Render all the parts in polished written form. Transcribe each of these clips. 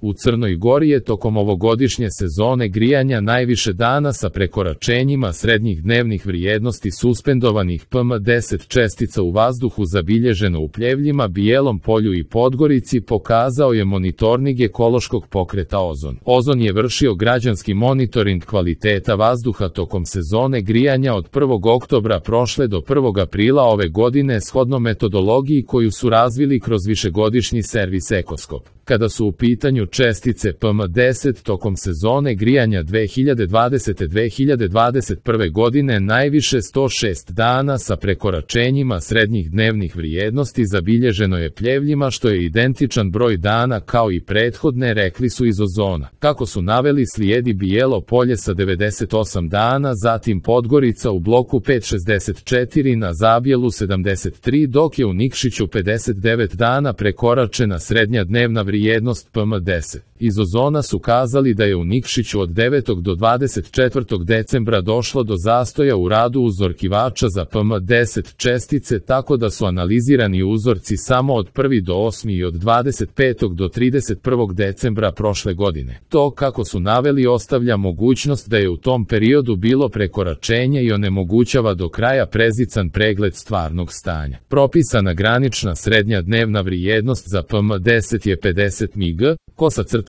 U Crnoj Gori je tokom ovogodišnje sezone grijanja najviše dana sa prekoračenjima srednjih dnevnih vrijednosti suspendovanih PM10 čestica u vazduhu zabilježeno u Pljevljima, Bijelom Polju i Podgorici, pokazao je monitoring ekološkog pokreta Ozon. Ozon je vršio građanski monitoring kvaliteta vazduha tokom sezone grijanja od 1. oktobra prošle do 1. aprila ove godine shodno metodologiji koju su razvili kroz višegodišnji servis Ekoskop. Kada su u pitanju čestice PM10 tokom sezone grijanja 2020-2021. godine, najviše 106 dana sa prekoračenjima srednjih dnevnih vrijednosti zabilježeno je Pljevljima, što je identičan broj dana kao i prethodne, rekli su iz Ozona. Kako su naveli, slijedi Bijelo Polje sa 98 dana, zatim Podgorica u bloku 5 64, na Zabjelu 73, dok je u Nikšiću 59 dana prekoračena srednja dnevna vrijednost PM10. Iz Ozona su kazali da je u Nikšiću od 9. do 24. decembra došlo do zastoja u radu uzorkivača za PM10 čestice, tako da su analizirani uzorci samo od 1. do 8. i od 25. do 31. decembra prošle godine. To, kako su naveli, ostavlja mogućnost da je u tom periodu bilo prekoračenje i onemogućava do kraja prezican pregled stvarnog stanja. Propisana granična srednja dnevna vrijednost za PM10 je 50 mg,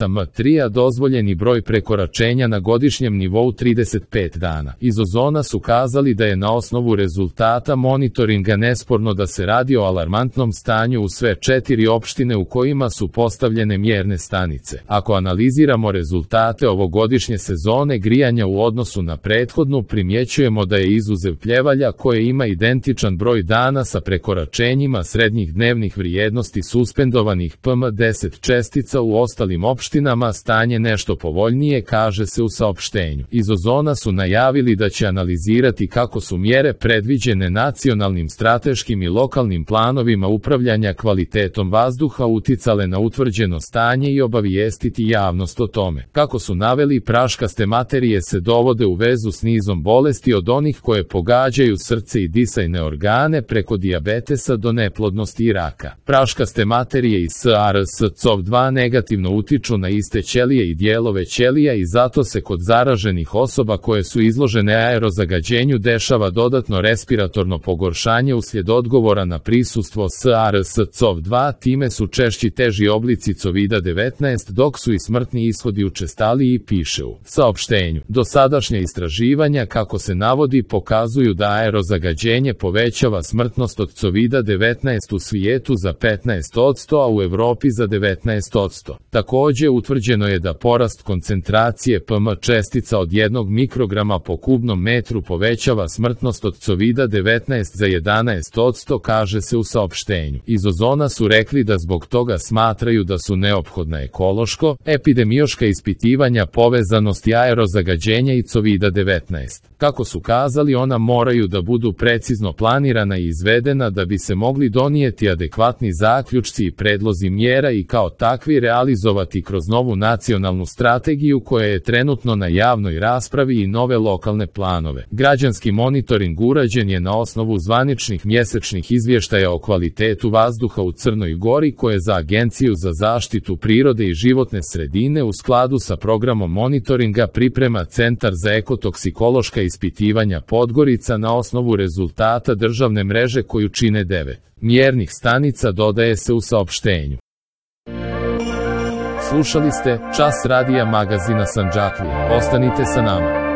M3, a dozvoljeni broj prekoračenja na godišnjem nivou 35 dana. Iz Ozona su kazali da je na osnovu rezultata monitoringa nesporno da se radi o alarmantnom stanju u sve 4 opštine u kojima su postavljene mjerne stanice. Ako analiziramo rezultate ovogodišnje sezone grijanja u odnosu na prethodnu, primjećujemo da je izuzev Pljevalja, koje ima identičan broj dana sa prekoračenjima srednjih dnevnih vrijednosti suspendovanih PM10 čestica, u ostalim opštinama stanje nešto povoljnije, kaže se u saopštenju. Iz Ozona su najavili da će analizirati kako su mjere predviđene nacionalnim strateškim i lokalnim planovima upravljanja kvalitetom vazduha uticale na utvrđeno stanje i obavijestiti javnost o tome. Kako su naveli, praškaste materije se dovode u vezu s nizom bolesti, od onih koje pogađaju srce i disajne organe preko dijabetesa do neplodnosti i raka. Praškaste materije iz SARS-CoV-2 negativno utiču na iste ćelije i dijelove ćelija i zato se kod zaraženih osoba koje su izložene aerozagađenju dešava dodatno respiratorno pogoršanje uslijed odgovora na prisustvo SARS-CoV-2, time su češći teži oblici COVID-19, dok su i smrtni ishodi učestaliji, piše u saopštenju. Dosadašnja istraživanja, kako se navodi, pokazuju da aerozagađenje povećava smrtnost od COVID-19 u svijetu za 15%, a u Evropi za 19%. Također utvrđeno je da porast koncentracije PM čestica od 1 mikrograma po kubnom metru povećava smrtnost od COVID-19 za 11%, kaže se u saopštenju. Iz Ozona su rekli da zbog toga smatraju da su neophodna ekološko-epidemiološka ispitivanja povezanosti aerozagađenja i COVID-19. Kako su kazali, ona moraju da budu precizno planirana i izvedena da bi se mogli donijeti adekvatni zaključci i predlozi mjera i kao takvi realizovati kroz novu nacionalnu strategiju koja je trenutno na javnoj raspravi i nove lokalne planove. Građanski monitoring urađen je na osnovu zvaničnih mjesečnih izvještaja o kvalitetu vazduha u Crnoj Gori, koje za Agenciju za zaštitu prirode i životne sredine u skladu sa programom monitoringa priprema Centar za ekotoksikološka ispitivanja Podgorica na osnovu rezultata državne mreže koju čine 9 mjernih stanica, dodaje se u saopštenju. Slušali ste Čas radija magazina Sandžaklija. Ostanite sa nama.